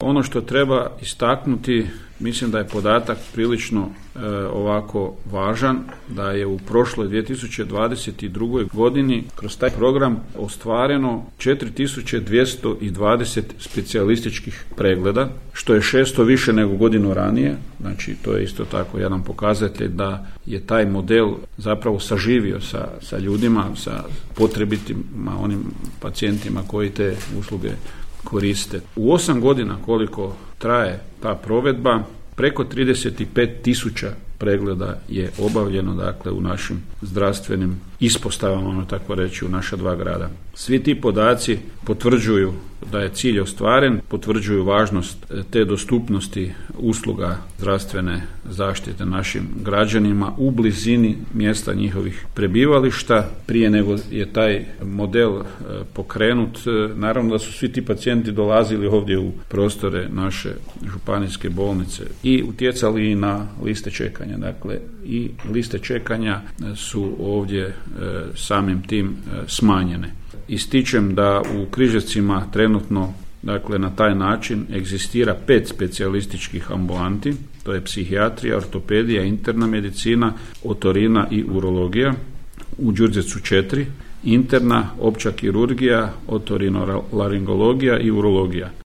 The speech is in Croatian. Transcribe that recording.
Ono što treba istaknuti, mislim da je podatak prilično ovako važan, da je u prošloj 2022. godini kroz taj program ostvareno 4220 specijalističkih pregleda, što je 600 više nego godinu ranije. Znači, to je isto tako jedan pokazatelj da je taj model zapravo saživio sa ljudima, sa potrebitima, onim pacijentima koji te usluge koriste. U 8 godina koliko traje ta provedba, preko 35.000 pregleda je obavljeno, dakle, u našim zdravstvenim ispostavama, tako reći, u naša 2 grada. Svi ti podaci potvrđuju da je cilj ostvaren, potvrđuju važnost te dostupnosti usluga zdravstvene zaštite našim građanima u blizini mjesta njihovih prebivališta. Prije nego je taj model pokrenut, naravno da su svi ti pacijenti dolazili ovdje u prostore naše županijske bolnice i utjecali i na liste čekanja. Dakle, i liste čekanja su ovdje samim tim smanjene. Ističem da u Križevcima trenutno, dakle, na taj način egzistira 5 specijalističkih ambulanti, to je psihijatrija, ortopedija, interna medicina, otorina i urologija. U Đurđevcu 4, interna, opća kirurgija, otorinolaringologija i urologija.